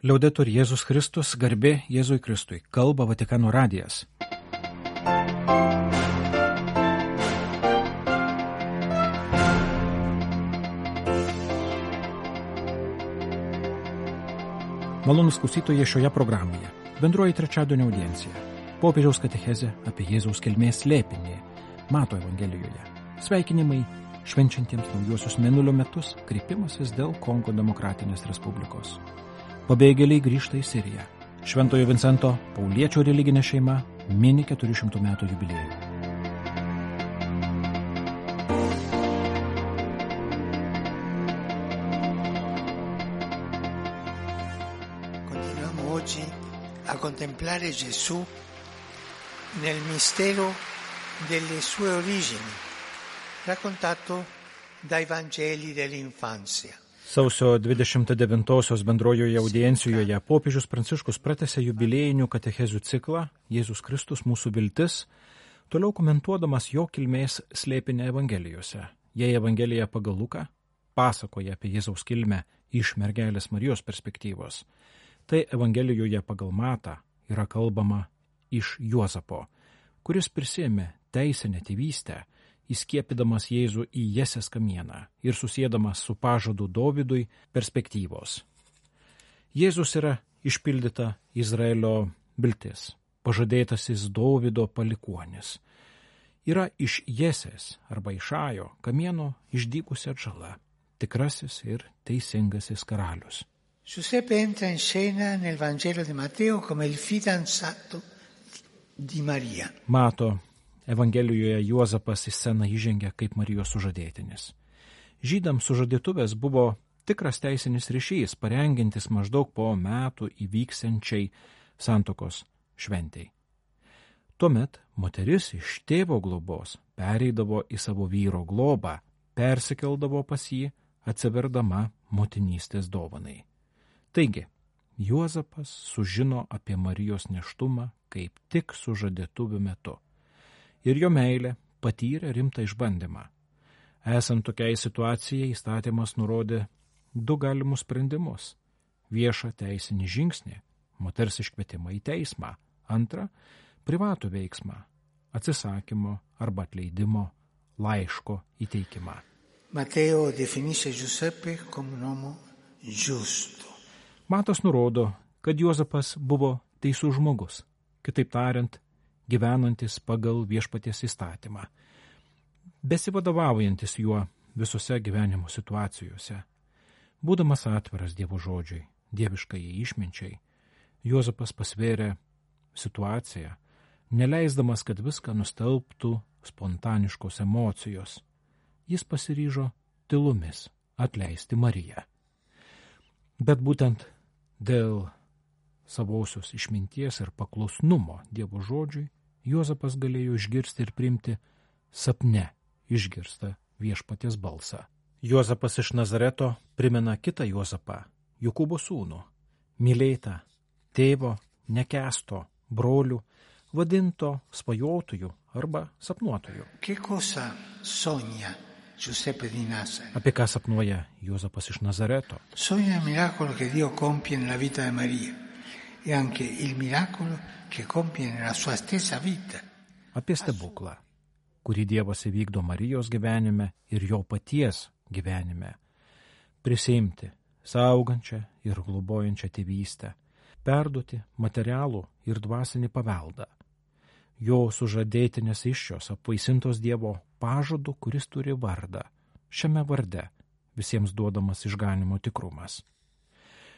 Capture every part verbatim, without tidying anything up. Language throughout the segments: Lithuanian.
Liaudetur Jėzus Kristus, garbė Jėzui Kristui, kalba Vatikano radijas. Malonūs klausytojai, šioje programoje bendroji trečiadienio audiencija, popiežiaus katechezė apie Jėzaus kilmės slėpinį Mato Evangelijoje, sveikinimai švenčiantiems naujuosius mėnulio metus, kreipimasis dėl Kongo Demokratinės Respublikos. Pabėgėliai grįžta į Siriją. Šventojo Vincento Pauliečio religinė šeima mini keturių šimtų metų jubiliejų. Continuiamo oggi a contemplare Gesù nel mistero delle sue origini, raccontato dai Vangeli dell'infanzia. Sausio dvidešimt devintosios bendrojoje audiencijoje popiežius Pranciškus pratęsė jubiliejinių katechezių ciklą Jėzus Kristus mūsų viltis, toliau komentuodamas jo kilmės slėpinį Evangelijose. Jei Evangelija pagal Luką pasakoja apie Jėzaus kilmę iš mergelės Marijos perspektyvos, tai Evangelijoje pagal Matą yra kalbama iš Juozapo, kuris prisėmė teisinę tėvystę, įskiepydamas Jėzų į Jesės kamieną ir susėdamas su pažadu Dovydui perspektyvos. Jėzus yra išpildyta Izraelio viltis, pažadėtasis Dovydo palikuonis. Yra iš Jesės arba iš Ajo kamieno išdygusi atžala, tikrasis ir teisingasis karalius. Giuseppe entra in scena nel Vangelo di Matteo come il fidanzato di Maria. Mato Evangelijoje Juozapas į sceną įžengia kaip Marijos sužadėtinis. Žydams sužadėtuvės buvo tikras teisinis ryšys, parengintis maždaug po metų įvyksiančiai santuokos šventei. Tuomet moteris iš tėvo globos pereidavo į savo vyro globą, persikeldavo pas jį, atsiverdama motinystės dovanai. Taigi, Juozapas sužino apie Marijos nėštumą kaip tik sužadėtuvių metu. Ir jo meilė patyrė rimtą išbandymą. Esant tokiai situacijai, įstatymas nurodė du galimus sprendimus. Viešą teisinį žingsnį, moters iškvietimą į teismą. Antra, privatų veiksmą, atsisakymo arba atleidimo laiško įteikimą. Matteo definisce Giuseppe come un uomo giusto. Matas nurodo, kad Juozapas buvo teisus žmogus, kitaip tariant, gyvenantis pagal viešpaties įstatymą, besivadovaujantis juo visose gyvenimo situacijose. Būdamas atviras Dievo žodžiui, dieviškai išminčiai, Juozapas pasvėrė situaciją, neleisdamas, kad viską nustelbtų spontaniškos emocijos. Jis pasiryžo tylomis atleisti Mariją. Bet būtent dėl savosios išminties ir paklusnumo Dievo žodžiui, Juozapas galėjo išgirsti ir priimti sapne išgirstą viešpaties balsą. Juozapas iš Nazareto primena kitą Juozapą, Jokūbo sūnų, mylėtą, tėvo, nekesto, brolių, vadinto svajotojų arba sapnuotojų. Che cosa sogna Giuseppe di Nazareth? Apie ką sapnuoja Juozapas iš Nazareto? Sogna il miracolo che Dio compie nella vita di Maria e anche il miracolo che compie nella sua stessa vita. Apie stebuklą, kurį Dievas įvykdo Marijos gyvenime ir jo paties gyvenime. Prisiimti saugančią ir globojančią tėvystę, perduoti materialų ir dvasinį paveldą. Jo sužadėtinės iššios apvaisintos Dievo pažadu, kuris turi vardą. Šiame varde visiems duodamas išganimo tikrumas.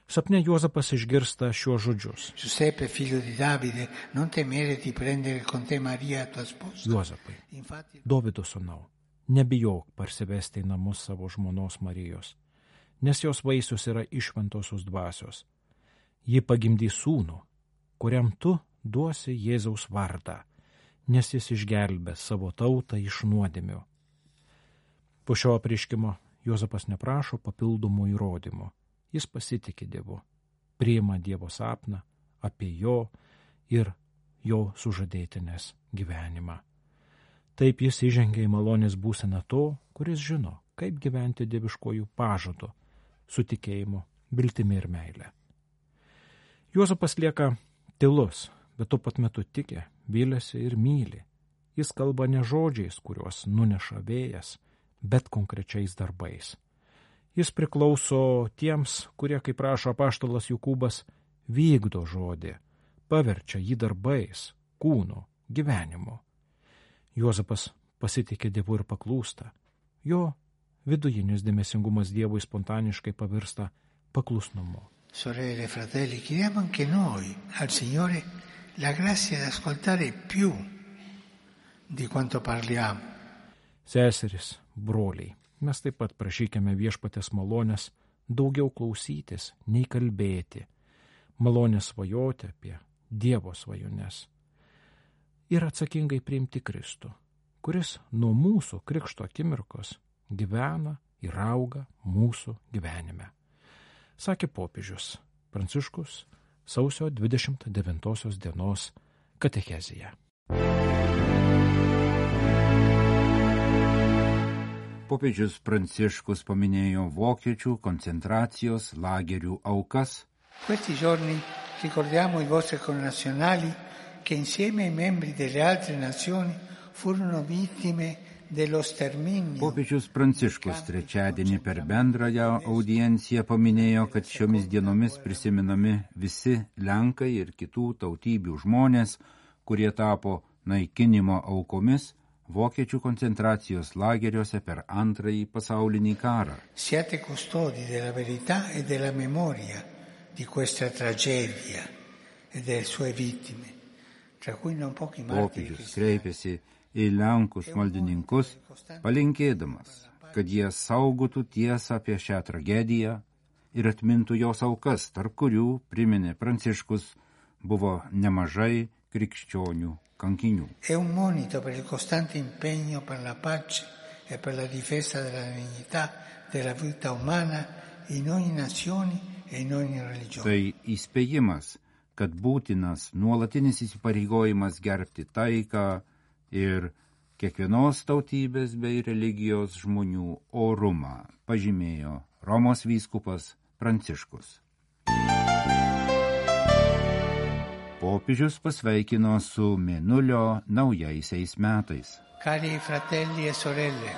Sapne Juozapas išgirsta šiuos žodžius. Giuseppe, figlio di Davide, non temere di prendere con te Maria tua sposa. Juozapai, Dovydo sūnau, nebijok parsivesti į namus savo žmonos Marijos, nes jos vaisius yra iš šventosios dvasios. Ji pagimdys sūnų, kuriam tu duosi Jėzaus vardą, nes jis išgelbės savo tautą iš nuodėmių. Po šio apreiškimo Juozapas neprašo papildomų įrodymų. Jis pasitiki Dievu, priima Dievo sapną apie jo ir jo sužadėtinės gyvenimą. Taip jis įžengia į malonės būseną to, kuris žino, kaip gyventi dieviškojų pažadu, su tikėjimu, viltimi ir meile. Juozapas lieka tylus, bet tuo pat metu tiki, vylėsi ir myli. Jis kalba ne žodžiais, kuriuos nuneša vėjas, bet konkrečiais darbais. Jis priklauso tiems, kurie, kaip rašo apaštalas Jokūbas, vykdo žodį, paverčia jį darbais, kūnu, gyvenimu. Juozapas pasitikė Dievu ir paklūsta. Jo vidujinis dėmesingumas Dievui spontaniškai pavirsta paklusnumu. Sorelle e fratelli, chiediamo anche noi al Signore la grazia di ascoltare più di quanto parliamo. Seseris, broliai, mes taip pat prašykime viešpatės malonės daugiau klausytis, nei kalbėti, malonės svajoti apie Dievo svajones ir atsakingai priimti Kristų, kuris nuo mūsų krikšto akimirkos gyvena ir auga mūsų gyvenime. Sakė popiežius Pranciškus sausio dvidešimt devintosios dienos katechezėje. Popiežius Pranciškus paminėjo vokiečių koncentracijos lagerių aukas. Questi giorni ricordiamo i vostri connazionali che insieme ai membri delle altre nazioni furono vittime dello sterminio. Popiežius Pranciškus trečiadienį per bendrąją audienciją paminėjo, kad šiomis dienomis prisiminami visi Lenkai ir kitų tautybių žmonės, kurie tapo naikinimo aukomis vokiečių koncentracijos lageriuose per antrąjį pasaulinį karą. Siate custodi della verità e della memoria di questa tragedia e delle sue vittime, tra cui non pochi martiri. Popiežius kreipėsi į Lenkus maldininkus, palinkėdamas, kad jie saugotų tiesą apie šią tragediją ir atmintų jos aukas, tarp kurių, priminė Pranciškus, buvo nemažai krikščionių kankinių. È un monito per il costante impegno per la pace e per la difesa della dignità della vita umana in ogni nazione e in ogni religione. Tai įspėjimas, kad būtinas nuolatinis įsipareigojimas gerbti taiką ir kiekvienos tautybės bei religijos žmonių orumą, pažymėjo Romos vyskupas Pranciškus. Popiežius pasveikino su Mėnulio naujaisiais metais. Cari fratelli e sorelle,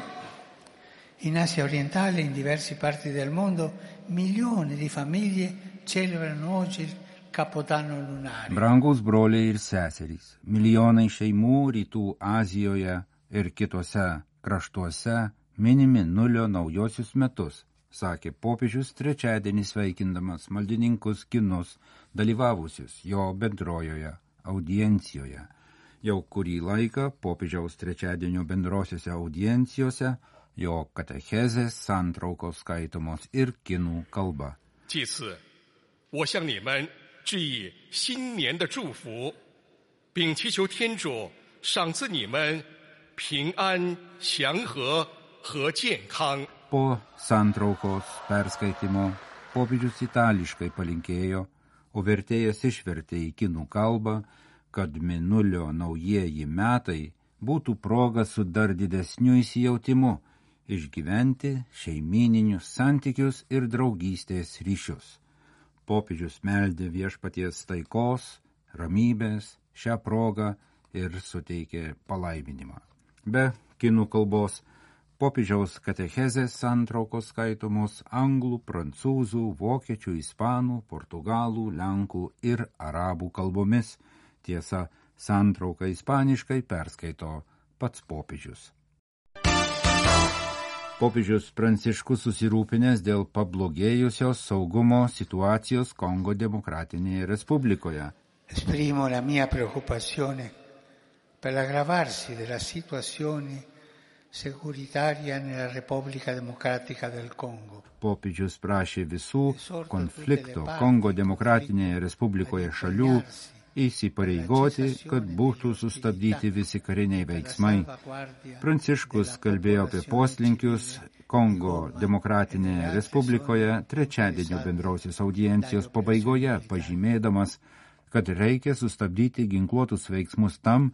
in Asia orientale e in diverse parti del mondo milioni di famiglie celebrano oggi il Capodanno lunare. Brangus broliai ir seserys, milijonai šeimų rytų Azijoje ir kitose kraštuose minimi Nulio naujosius metus, sakė popiežius trečiadienį sveikindamas maldininkus kinus dalyvavusius jo bendrojoje audiencijoje. Jau kurį laiką popiežiaus trečiadienio bendrosiose audiencijose jo katechezės santraukos skaitomos ir kinų kalba. 祭祀，我向你们致以新年的祝福，并祈求天主赏赐你们平安、祥和和健康。 Po santraukos perskaitimo popiežius itališkai palinkėjo, o vertėjas išvertė į kinų kalbą, kad Mėnulio naujieji metai būtų proga su dar didesniu įsijautimu išgyventi šeimyninius santykius ir draugystės ryšius. Popiežius meldė viešpaties taikos, ramybės šią progą ir suteikė palaiminimą. Be kinų kalbos popiežiaus katechezės santraukos skaitomos anglų, prancūzų, vokiečių, ispanų, portugalų, lenkų ir arabų kalbomis. Tiesa, santrauką ispaniškai perskaito pats popiežius. Popiežius Pranciškus susirūpinęs dėl pablogėjusios saugumo situacijos Kongo Demokratinėje Respublikoje. Esprimo la mia preoccupazione per l'aggravarsi della situazione securitaria nella Repubblica Democratica del Congo. Popiežius prašė visų konflikto Kongo Demokratinėje Respublikoje šalių įsipareigoti, kad būtų sustabdyti visi kariniai veiksmai. Pranciškus kalbėjo apie poslinkius Kongo Demokratinėje Respublikoje trečiadienio bendrosios audiencijos pabaigoje, pažymėdamas, kad reikia sustabdyti ginkluotus veiksmus tam,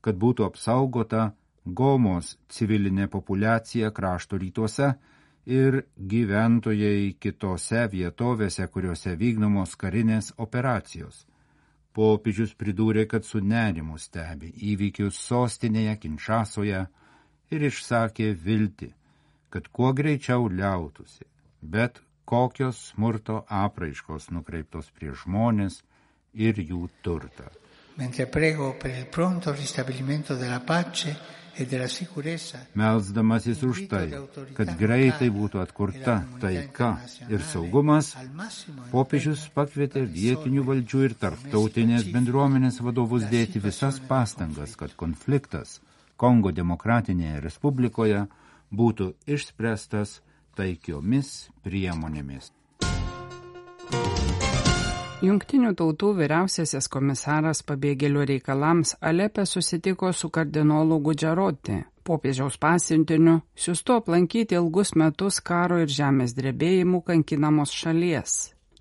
kad būtų apsaugota Gomos civilinė populiacija krašto rytuose ir gyventojai kitose vietovėse, kuriuose vykdomos karinės operacijos. Popiežius pridūrė, kad su nerimu stebi įvykius sostinėje Kinšasoje ir išsakė viltį, kad kuo greičiau liautųsi, bet kokios smurto apraiškos nukreiptos prieš žmonės ir jų turtą. Mentre prego per il pronto ristabilimento della pace e della sicurezza, melsdamasis už tai, kad greitai būtų atkurta taika ir saugumas, popiežius pakvietė vietinių valdžių ir tarptautinės bendruomenės vadovus dėti visas pastangas, kad konfliktas Kongo Demokratinėje Respublikoje būtų išspręstas taikiomis priemonėmis. Jungtinių tautų vyriausiasis komisaras pabėgėlių reikalams Alepe susitiko su kardinolu Gudžaroti, popiežiaus pasiuntiniu, siųstu aplankyti ilgus metus karo ir žemės drebėjimų kankinamos šalies.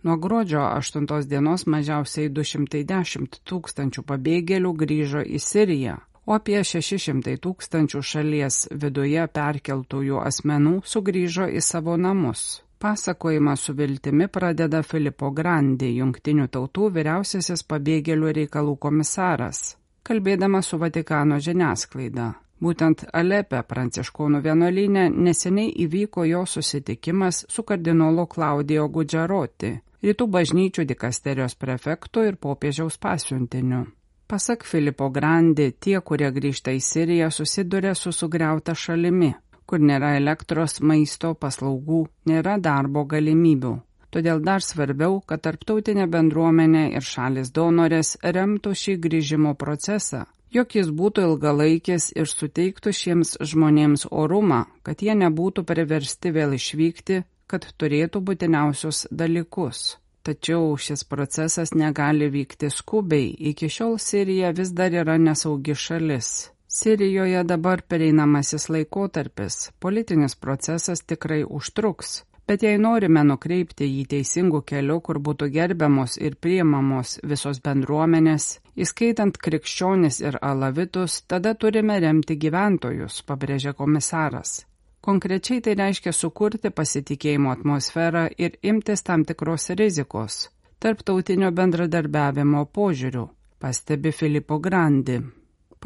Nuo gruodžio aštuntos dienos mažiausiai du šimtai dešimt tūkstančių pabėgėlių grįžo į Siriją, o apie šeši šimtai tūkstančių šalies viduje perkeltųjų asmenų sugrįžo į savo namus. Pasakojimą su viltimi pradeda Filippo Grandi, Jungtinių tautų vyriausiasis pabėgėlių reikalų komisaras, kalbėdamas su Vatikano žiniasklaida. Būtent Alepe pranciškonų vienuolyne neseniai įvyko jo susitikimas su kardinolu Klaudijo Gudžaroti, rytų bažnyčių dikasterijos prefektu ir popiežiaus pasiuntiniu. Pasak Filippo Grandi, tie, kurie grįžta į Siriją, susiduria su sugriauta šalimi, kur nėra elektros, maisto, paslaugų, nėra darbo galimybių. Todėl dar svarbiau, kad tarptautinė bendruomenė ir šalis donorės remtų šį grįžimo procesą, jog jis būtų ilgalaikis ir suteiktų šiems žmonėms orumą, kad jie nebūtų priversti vėl išvykti, kad turėtų būtiniausius dalykus. Tačiau šis procesas negali vykti skubiai, iki šiol Sirija vis dar yra nesaugi šalis. Sirijoje dabar pereinamasis laikotarpis, politinis procesas tikrai užtruks, bet jei norime nukreipti jį teisingų kelių, kur būtų gerbiamos ir priimamos visos bendruomenės, įskaitant krikščionis ir alavitus, tada turime remti gyventojus, pabrėžė komisaras. Konkrečiai tai reiškia sukurti pasitikėjimo atmosferą ir imtis tam tikros rizikos, tarptautinio bendradarbiavimo požiūrių, pastebi Filippo Grandi.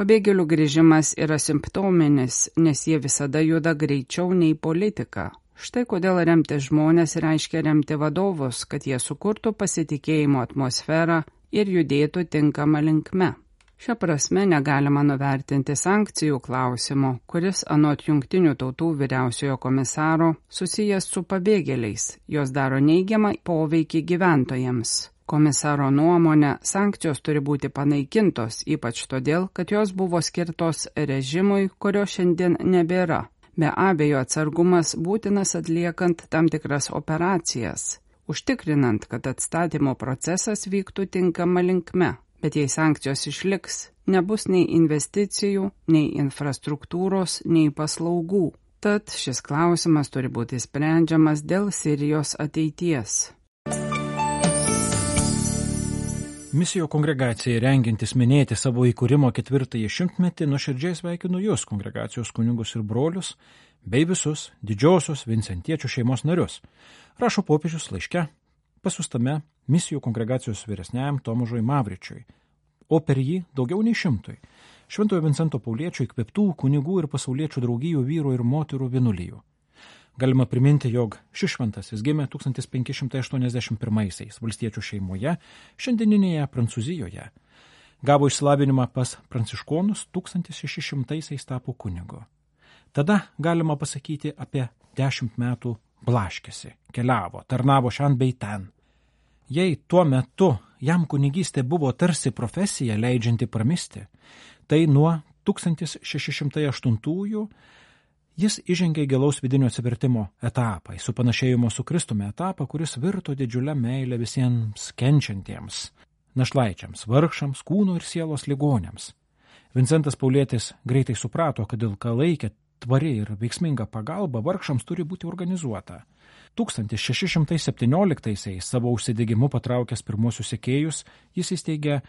Pabėgėlių grįžimas yra simptominis, nes jie visada juda greičiau nei politika. Štai kodėl remti žmonės reiškia remti vadovus, kad jie sukurtų pasitikėjimo atmosferą ir judėtų tinkamą linkme. Šia prasme negalima nuvertinti sankcijų klausimo, kuris anot Jungtinių tautų vyriausiojo komisaro susijęs su pabėgėliais, jos daro neigiamą poveikį gyventojams. Komisaro nuomonė, sankcijos turi būti panaikintos, ypač todėl, kad jos buvo skirtos režimui, kurio šiandien nebėra. Be abejo, atsargumas būtinas atliekant tam tikras operacijas, užtikrinant, kad atstatymo procesas vyktų tinkama linkme. Bet jei sankcijos išliks, nebus nei investicijų, nei infrastruktūros, nei paslaugų. Tad šis klausimas turi būti sprendžiamas dėl Sirijos ateities. Misijų kongregacijai rengiantis minėti savo įkūrimo ketvirtąjį šimtmetį, nuoširdžiai sveikinu jūs, kongregacijos kunigus ir brolius, bei visus didžiosios vincentiečių šeimos narius, rašo popiežius laiške, pasiųstame misijų kongregacijos vyresniajam Tomažui Mavričiui, o per jį daugiau nei šimtui, Šventojo Vincento Pauliečio įkvėptų kunigų ir pasauliečių draugijų vyrų ir moterų vienuolijų. Galima priminti, jog šis šventasis gimė tūkstantis penki šimtai aštuoniasdešimt pirmaisiais valstiečių šeimoje, šiandieninėje Prancūzijoje. Gavo išsilavinimą pas pranciškonus, tūkstantis šeši šimtaisiais tapo kunigu. Tada galima pasakyti apie dešimt metų blaškėsi, keliavo, tarnavo šen bei ten. Jei tuo metu jam kunigystė buvo tarsi profesija leidžianti pramisti, tai nuo tūkstantis šeši šimtai aštuntųjų jis įžengė gilaus vidinio atsivertimo etapą, į supanašėjimo su Kristumi etapą, kuris virto didžiulę meilę visiems kenčiantiems, našlaičiams, vargšams, kūno ir sielos ligoniams. Vincentas Paulietis greitai suprato, kad ilgalaikė, tvari ir veiksminga pagalba vargšams turi būti organizuota. tūkstantis šeši šimtai septynioliktaisiais savo užsidegimu patraukęs pirmosius sekėjus, jis įsteigė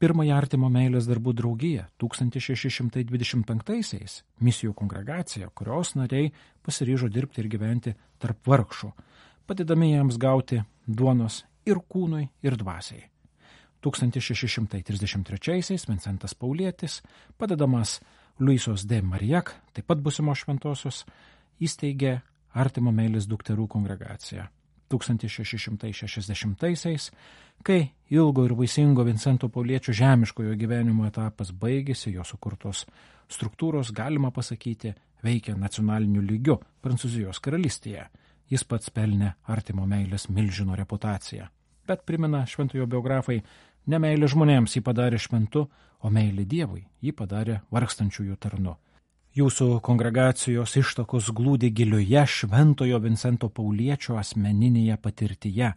Pirmąją artimo meilės darbų draugiją tūkstantis šeši šimtai dvidešimt penktaisiais misijų kongregacija, kurios nariai pasiryžo dirbti ir gyventi tarp vargšų, padėdami jiems gauti duonos ir kūnui, ir dvasiai. tūkstantis šeši šimtai trisdešimt trečiaisiais Vincentas Paulietis, padedamas Luisos de Marijac, taip pat būsimos šventosios, įsteigė artimo meilės dukterų kongregaciją. tūkstantis šeši šimtai šešiasdešimtaisiais, kai ilgo ir vaisingo Vincento Pauliečio žemiškojo gyvenimo etapas baigėsi, jo sukurtos struktūros, galima pasakyti, veikia nacionaliniu lygiu Prancūzijos karalystėje. Jis pats pelnė artimo meilės milžino reputaciją. Bet primena šventojo biografai, ne meilė žmonėms jį padarė šventu, o meilė Dievui jį padarė vargstančiųjų tarnu. Jūsų kongregacijos ištakos glūdi gilioje šventojo Vincento Pauliečio asmeninėje patirtyje,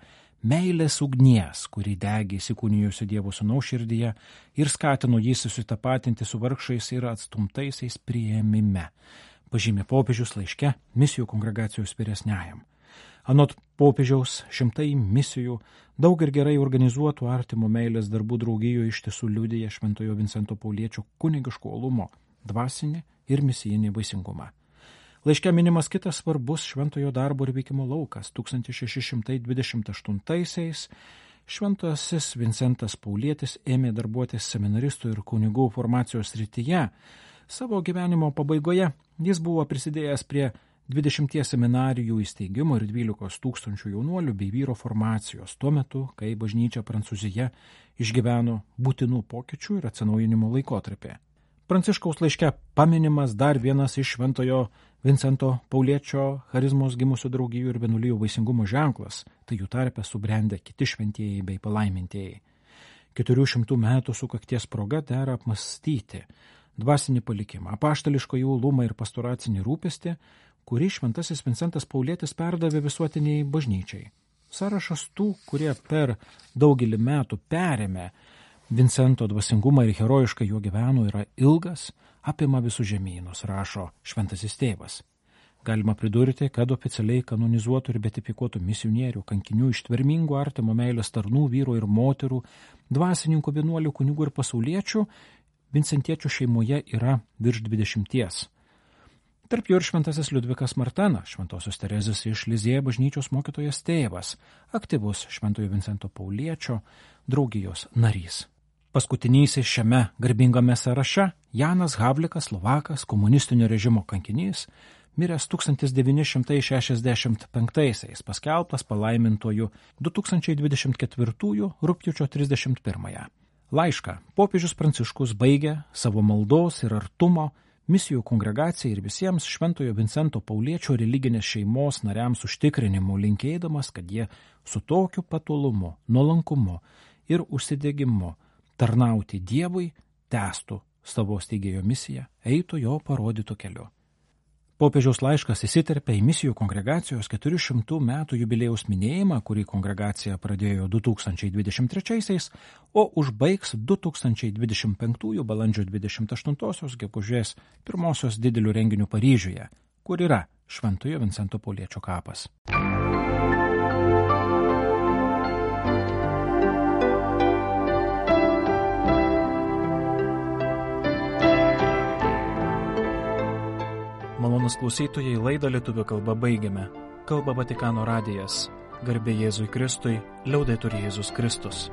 meilės ugnies, kuri degė įsikūnijusi Dievo sūnaus širdyje ir skatino jį susitapatinti su vargšais ir atstumtaisiais priėmime, pažymė popiežius laiške misijų kongregacijos vyresniajam. Anot popiežiaus, šimtai misijų, daug ir gerai organizuotų artimo meilės darbų draugijų iš tiesų liudija šventojo Vincento Pauliečio kunigiško uolumo, dvasinį ir misijinį vaisingumą. Laiške minimas kitas svarbus šventojo darbo ir veikimo laukas. tūkstantis šeši šimtai dvidešimt aštuntaisiais šventasis Vincentas Paulietis ėmė darbuotis seminaristų ir kunigų formacijos srityje. Savo gyvenimo pabaigoje jis buvo prisidėjęs prie dvidešimties seminarijų įsteigimo ir dvylikos tūkstančių jaunuolių bei vyro formacijos, tuo metu, kai bažnyčia Prancūzija išgyveno būtinų pokyčių ir atsinaujinimo laikotarpį. Pranciškaus laiške paminimas dar vienas iš šventojo Vincento Pauliečio charizmos gimusių draugijų ir vienuolijų vaisingumo ženklas, tai jų tarpe subrendę kiti šventieji bei palaimintieji. Keturių šimtų metų sukakties proga dera apmąstyti dvasinį palikimą, apaštališką uolumą ir pastoracinį rūpestį, kurį šventasis Vincentas Paulietis perdavė visuotiniai bažnyčiai. Sąrašas tų, kurie per daugelį metų perėmė Vincento dvasingumą ir herojiškai jo gyveno, yra ilgas, apima visus žemynus, rašo šventasis tėvas. Galima pridurti, kad oficialiai kanonizuotų ir betifikuotų misionierių, kankinių, ištvermingų artimo meilės tarnų, vyrų ir moterų, dvasininkų, vienuolių, kunigų ir pasauliečių vincentiečių šeimoje yra virš dvidešimties. Tarp jų ir šventasis Liudvikas Martenas, šventosios Terezės iš Lizėje bažnyčios mokytojas tėvas, aktyvus šventojo Vincento Pauliečio draugijos narys. Paskutinysis šiame garbingame sąraše Janas Havlikas, Slovakas, komunistinio režimo kankinys, miręs tūkstantis devyni šimtai šešiasdešimt penktaisiais, paskelbtas palaimintuoju du tūkstančiai dvidešimt ketvirtųjų rugpjūčio trisdešimt pirmąją. Laišką popiežius Pranciškus baigė savo maldos ir artumo misijų kongregacijai ir visiems šventojo Vincento Pauliečio religinės šeimos nariams užtikrinimu, linkėdamas, kad jie su tokiu patolumu, nuolankumu ir užsidegimu tarnauti Dievui, tęstų savo steigėjo misiją, eitų jo parodytų keliu. Popiežiaus laiškas įsiterpia į misijų kongregacijos keturių šimtų metų jubiliejaus minėjimą, kurį kongregacija pradėjo du tūkstančiai dvidešimt trečiaisiais, o užbaigs du tūkstančiai dvidešimt penktųjų balandžio dvidešimt aštuntosios gegužės pirmosios didelių renginių Paryžiuje, kur yra šventojo Vincento Pauliečio kapas. Malonus klausytojai, laidą lietuvių kalba baigiame. Kalba Vatikano radijas. Garbė Jėzui Kristui, liaudetur Jėzus Kristus.